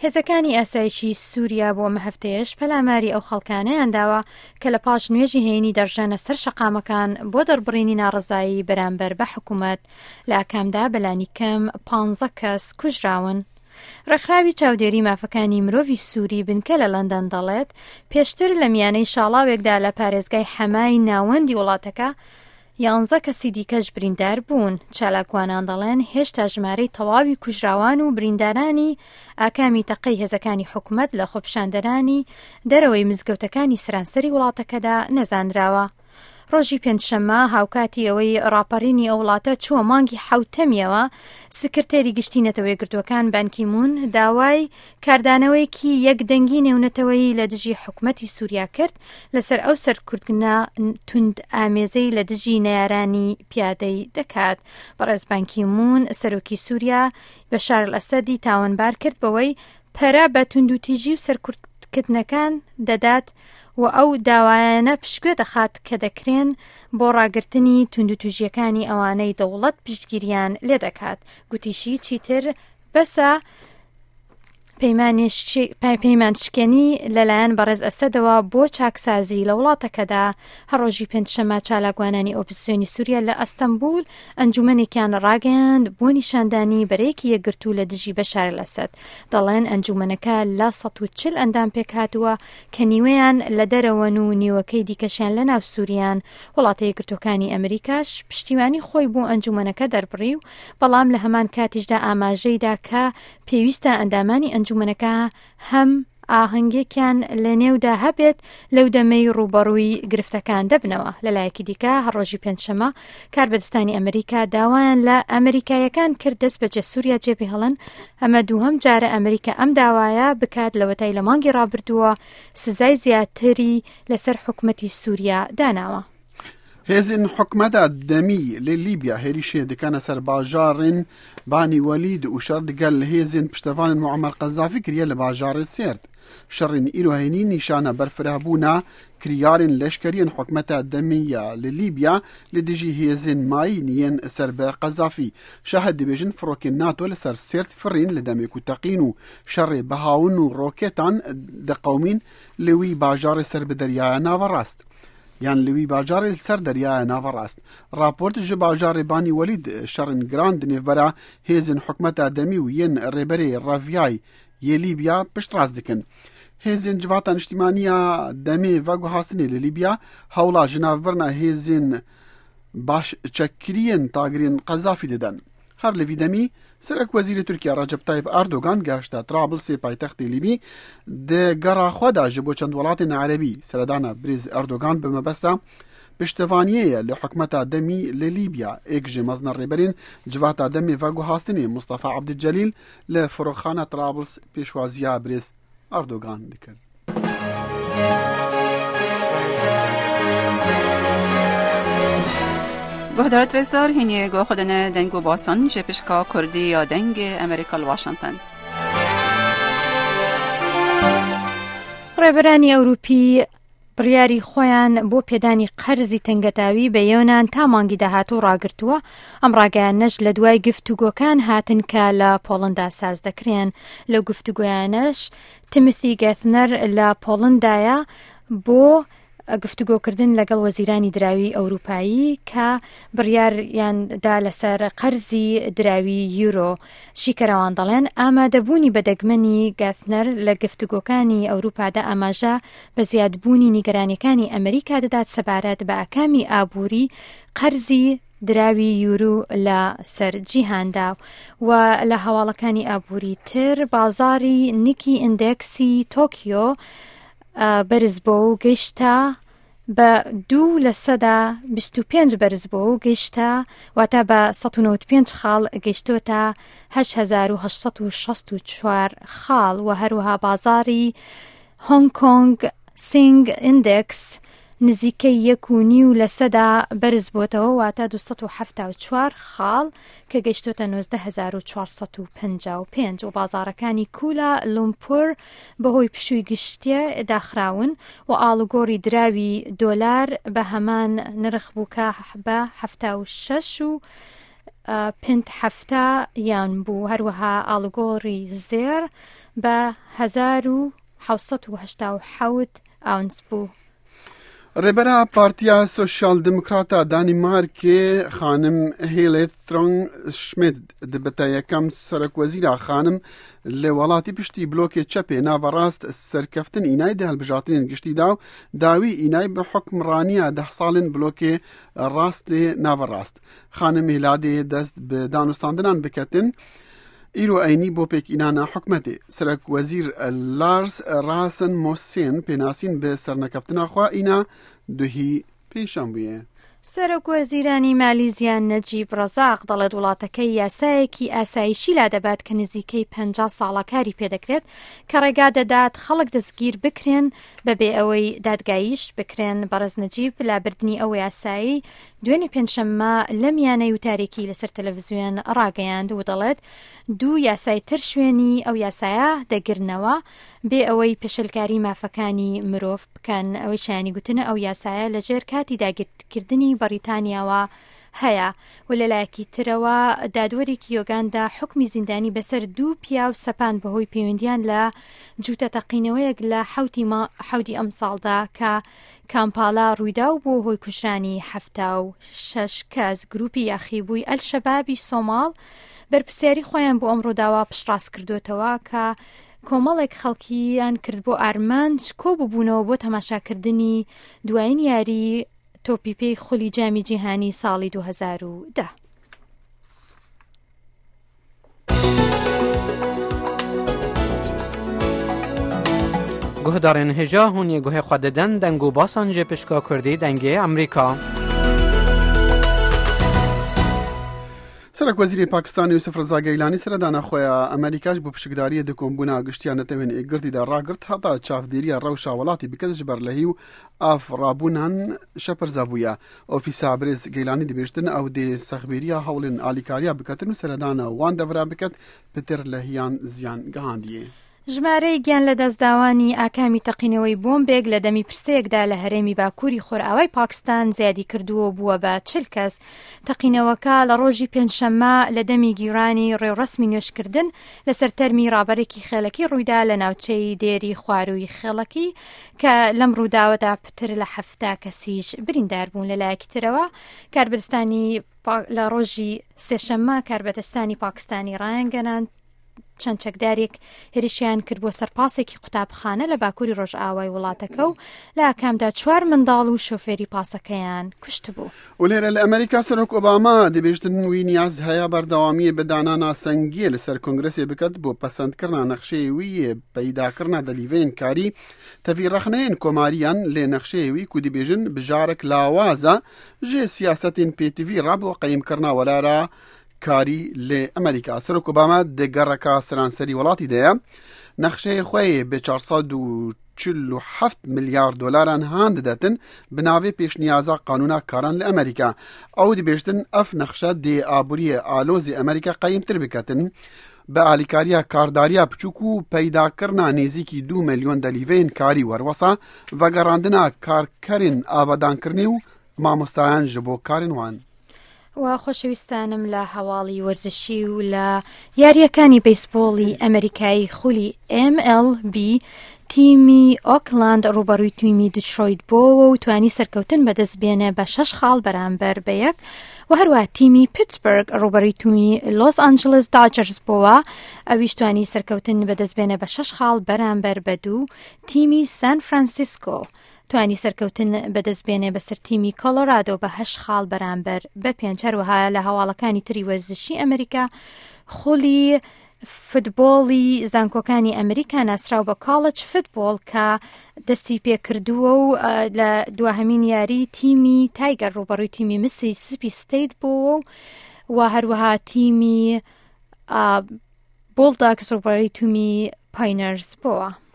هێزەکانی ئاسایشی سووریا بۆ ئەم هەفتەیەش پەلاماری ئەو خەڵکانەیان داوە کە لە پاش نوێژی هەینی دەڕژێنە سەر شەقامەکان بۆ دەربڕینی ناڕەزایی بەرامبەر بە حکوومەت، لە ئاکامدا بەلانیکەم پانزە کەس کوژراون. ڕێکخراوی چاودێری مافەکانی مرۆڤی سووری بنکە لە لەندەن دەڵێت، پێشتر لە میانەی شاڵاوێکدا لە پارێزگای حەمای ناوەندی وڵاتەکە، یانزە کەسی دیکەش بریندار بوون. چالاکوانان دەڵێن هێشتا ژمارەی تەواوی کوژراوان و بریندارانی ئاکامی تەقەی هێزەکانی حکومەت لە خۆپیشاندەرانی دەرەوەی مزگەوتەکانی سەرانسەری وڵاتەکەدا نەزانراوە. ڕۆژی پێنجشەممە هاوکاتی ئەوەی ڕاپەڕینی ئەو وڵاتە چووە مانگی حەوتەمیەوە، سکرتێری گشتی نەتەوە یەکگرتووەکان بان کی مون داوای کاردانەوەیەکی یەکدەنگی نێونەتەوەیی لە دژی حکومەتی سووریا کرد لەسەر ئەو سەرکوتکردنە توند ئامێزەی لە دژی نەیارانی پیادەی دەکات. بەڕێز بان کی مون سەرۆکی سووریا بەشار ئەسەدی تاوانبار کرد بەوەی پەرە بە توندوتیژی و سەرکوتکردنەکان دەدات و ئەو داوایانە پشتگوێ دەخات کە دەکرێن بۆ ڕاگرتنی توندوتیژییەکانی ئەوانەی دەوڵەت پشتگیریان لێدەکات. گوتیشی چیتر بەسە پەیمان شکێنی لەلایەن بەڕێز ئەسەدەوە بۆ چاکسازی لە وڵاتەکەدا. هەر ڕۆژی پێنجشەممە چالاکوانانی ئۆپزسیۆنی سووریا لە ئەستەنبول ئەنجومەنێکیان ڕاگەیاند بۆ نیشاندانی بەرەیەکی یەکگرتوو لە دژی بەشار ئەسەد. دەڵێن ئەنجومەنەکە لە 140 ئەندام پێکهاتووە کە نیوەیان لە دەرەوەن و نیوەکەی دیکەشیان لە ناو سووریان. وڵاتە یەکگرتووەکانی ئەمریکاش پشتیوانی خۆی بۆ ئەنجومەنەکە دەربڕی و بەڵام لە هەمان کاتیشدا ئاماژەیدا کە پێویستە ئەندامانی ئەنجومەنەکە هەم ئاهەنگێکیان لە نێودا هەبێت لەو دەمەی ڕووبەڕووی گرفتەکان دەبنەوە. لەلایەکی دیکە هەر ڕۆژی پێنجشەممە کاربەدەستانی ئەمریکا داوایان لە ئەمریکاییەکان کرد دەست بەجێ سووریا جێبهێڵن، ئەمە دووهەم جارە ئەمریکا ئەم داوایە بکات لەوەتای لە مانگی ڕابردووە سزای زیاتری لەسەر حکومەتی سووریا داناوە. هێزên hikûmeta demî li Lîbya hêrîşê dikene ser bajarên Banî Welîd û şer digel hêzên piştevanên Muammer Qezafî kiriye li bajarê Sêrt. Şerên îro hênî nîşana berfirehbûna kiryarên leşkeriyên hikûmeta demî ya li Lîbya li dijî hêzên mayîn yên ser bi Qezafî. Şahid dibêjin firokên NATO li ser Sêrt firîn li demê ku teqîn û şerê bihawin û rokêtan diqewimîn li wî bajarê ser bi deryaya naverast. Yan li wî bajarê li ser deryaya naverast. Raport ji bajarê Banî Welîd şerên giran di nêvbera hêzên hikûmeta demî û yên rêberê reviyay yê Lîbya piştrast dikin. Hêzên Civata Niştîmanî ya Demê Veguhastinê li Lîbya hewla ji navbirina hêzên baş çekkiriyên tagirên Qezafî didin. Her li vî demî Serokwezîrê Tirkiye Recep Tayyip Erdogan gehişte Trablsê paytextê Lîbî di gera xwe de ji bo çend welatên Erebî. Seredana Birêz Erdogan bi mebesta piştevaniyê ye li hikûmeta demî li Lîbya. Êk ji mezina rêberên Civata Demê Veguhastinê Mustafa Ebdulcelîl li Firokxana Trabls pêşwaziya Birêz Erdogan dikir. Guhdarat Rêzdar hînê guh xwe dine deng û basan ji pişka Kurdî ya Dengê Amerîka li Washington. Rêberani Ewropî بڕیاری خۆیان بۆ پێدانی قەرزی تەنگەتاوی بە یۆنان تا مانگی داهاتوو ڕاگرتووە، ئەم ڕاگەیاندنەش لە دوای گفتوگۆکان هاتن کە لە پۆڵندا ساز دەکرێن. لەو گفتوگۆیانەش تیمۆثی گێثنەر لە پۆڵندایە بۆ گفتوگۆکردن لەگەڵ وەزیرانی دراوی ئەوروپایی کە بڕیاریان دا لەسەر قەرزی دراوی یورۆ. شیکەرەوان دەڵێن ئامادەبوونی بە دەگمەنی گاثنەر لە گفتوگۆکانی ئەوروپادا ئاماژە بە زیادبوونی نیگەرانیەکانی ئەمریکا دەدات سەبارەت بە ئاکامی ئابووری قەرزی دراوی یورو لە سەر جیهاندا و لە هەواڵەکانی ئابووری تر بازاری نیکی ئیندێکسی تۆکیۆ بەرز بۆ و گەیشتە بە دوو 25% بەرز بۆ و گەیشتە واتە بە 195 خاڵ گەیشتۆتە 8864 خاڵ و هەروەها بازاری هۆنگ کۆنگ سینگ ئیندێکس نزیکەی یەک و نیو لەسەدا بەرز بۆتەوە واتە 274 خاڵ کە گەیشتۆتە 19455 و بازاڕەکانی کولا لومپور بەهۆی پشووی گشتیە داخراون و ئاڵوگۆڕی دراوی دۆلار بە هەمان نرخ بوو کە بە 76 و پنت 70 یان بوو هەروەها ئاڵوگۆڕی زێڕ بە 1787 ئاونس بوو. Rêbera Partiya Sosyal Demokrata Danîmarkê xanim Helle Thorning Schmidt dibite yekem serokwezîra xanim li welatî piştî blokê çepê naverast serkeftin înayê di hilbijartinên giştî da û dawî înayê bi hukmraniya deh salên blokê rastê naverast. Xanim Hêladê dest bi danûstandinan biketin îro eynî bo pêkînana hikûmetê. Serokwezîr Lars Rasmussen pênasîn bi sernekeftina xwe îna duhî pêşan bûye. سەرۆکوەزیرانی مالیزیا نەجیب ڕەزاق دەڵێت وڵاتەکەی یاسایەکی ئاسایشی لادەبات کە نزیکەی 50 ساڵە کاری پێدەکرێت کە ڕێگا دەدات خەڵک دەستگیر بکرێن بەبێ ئەوەی دادگاییش بکرێن. بەڕێز نەجیب لابردنی ئەو یاسایی دوێنێ پێنجشەممە لە میانەی وتارێکی لەسەر تەلەڤزیۆن ڕاگەیاند و دەڵێت دوو یاسای تر شوێنی ئەو یاسایە دەگرنەوە بێ ئەوەی پێشێلکاری مافەکانی مرۆڤ بکەن. ئەوەی شایانی گوتنە ئەو یاسایە لەژێر کاتی داگیرکردنی بەڕیتانیاوە هەیە و لەلایەکی ترەوە دادوەرێکی یۆگاندا حکمی زیندانی بەسەر دوو پیاو سەپاند بەهۆی پەیوەندیان لە جووتە تەقینەوەیەک لە حەوتی ئەمساڵدا کە کامپالا ڕوویدا و بووە هۆی کوژرانی 76 کەس. گروپی یاخیبووی ئەلشەبابی سۆماڵ بەرپرسیاری خۆیان بۆ ئەم ڕووداوە پشتڕاست کردوێتەوە کە کۆمەڵێک خەڵکیان کرد بۆ ئارمانج کۆ ببوونەوە بۆ تەماشاکردنی دوایین یاری تۆپی پێی خولی جامی جیهانی ساڵی 2010. Guhdarên hêja hûn yê guhê xwe didin deng û basan ji pişka Kurdî dengê Amerîka. Serokwezîrê Pakistanê Yusuf Reza Geylanî seredana xwe ya Amerîka ji bo pişikdariyê di kombûna giştiya Netewên Yekgirtî de ragirt heta çavdêriya rewşa welatî bike ji ber lehî û av rabûnan şepirze bûye. Ofîsa Birêz Geylanî dibêjtin ew dê sexbêriya hewlên alîkariya biketin û seredana wan devera biket pitir lehiyan ziyan gihandiyê. ژمارەی گیانلەدەستداوانی ئاکامی تەقینەوەی بۆمبێک لە دەمی پرسەیەکدا لە هەرێمی باکووری خۆرئاوای پاکستان زیادی کردووە و بووە بە 40 کەس. تەقینەوەکە لە ڕۆژی پێنجشەممە لە دەمی گیرانی ڕێوڕەسمی نوێژکردن لەسەر تەرمی ڕابەرێکی خێڵەکی ڕوویدا لە ناوچەی دێری خوارووی خێڵەکی کە لەم ڕووداوەدا پتر لە 70 کەسیش بریندار بوون. لەلایەکی ترەوە کاربەدەستانی لە ڕۆژی سێشەممە کاربەدەستانی پاکستانی ڕایانگەناند چەند چەکدارێک هێرشیان کرد بۆ سەر پاسێکی قوتابخانە لە باکووری ڕۆژئاوای وڵاتەکە و لە ئاکامدا چوار منداڵ و شۆفێری پاسەکەیان کوشتبوو. و لێرە لە ئەمریکا سەرۆک ئۆباما دەبێژتن وی نیاز هەیە بەردەوامیە بە دانانا سەنگیە لەسەر کۆنگرسێ بکات بۆ پەسەندکردنا نەخشەی ویە پەیداکردنا دەلیڤەیەن کاری تەڤی ڕەخنەیەن کۆماریان لێ نەخشەی وی کو دبێژن بژارەک لاوازە ژێ سیاسەتên پێتڤی ڕا بۆ قەیمکردنا وەلارا کاری لێ ئەمریکا. سەرۆک ئۆباما دە گەڕەکا سەرانسەری وڵاتی دەیە نەخشەی خوەی بە 447 ملیار دلاران هان ددەتن bi navê pêşniyaza qanûna karan li Amerîka. Ew dibêjtin ev nexşe dê aboriyê alozê Amerîka qeyimtir biketin. Bi alîkariya kardariya piçûk û peydakirina nêzîkî 2 milyon delîveyên karî werwesa vegerandina karkerên avadankirinê û mamostayan ji bo karên wan. و خۆشەویستانم لە هەواڵی وەرزشی و لە یارییەکانی بەیسبۆڵی ئەمریکایی خولی MLB تیمی ئۆکلاند ڕوبەڕووی تیمی دیترۆیت بۆوە و توانی سەرکەوتن بەدەست بێنێ بە شەش خاڵ بەرامبەر بە یەک و هەروە تیمی پیتسبرگ ڕوبەڕووی تیمی لۆس ئەنجلس داجەرز بۆوە ئەویش توانی سەرکەوتن بەدەست بێنێ بە شەش خاڵ بەرامبەر بە دوو تیمی سان فرانسیسکۆ توانی سەرکەوتن بەدەست بێنێ بەسەر تیمی کۆلۆرادۆ بە هەشت خاڵ بەرامبەر بە پێنج. هەروەها لە هەواڵەکانی تری وەرزشی ئەمریکا خولی فتبۆڵی زانکۆکانی ئەمریکا ناسراو بە کاڵج فتبۆڵ کە دەستی پێکردووە و لە دواهەمین یاری تیمی تایگەر ڕوبەڕووی تیمی مسی سپی ستیت بووە و هەروەها تیمی بۆڵداکس ڕوبەڕووی تیمی پاینەرز بووە.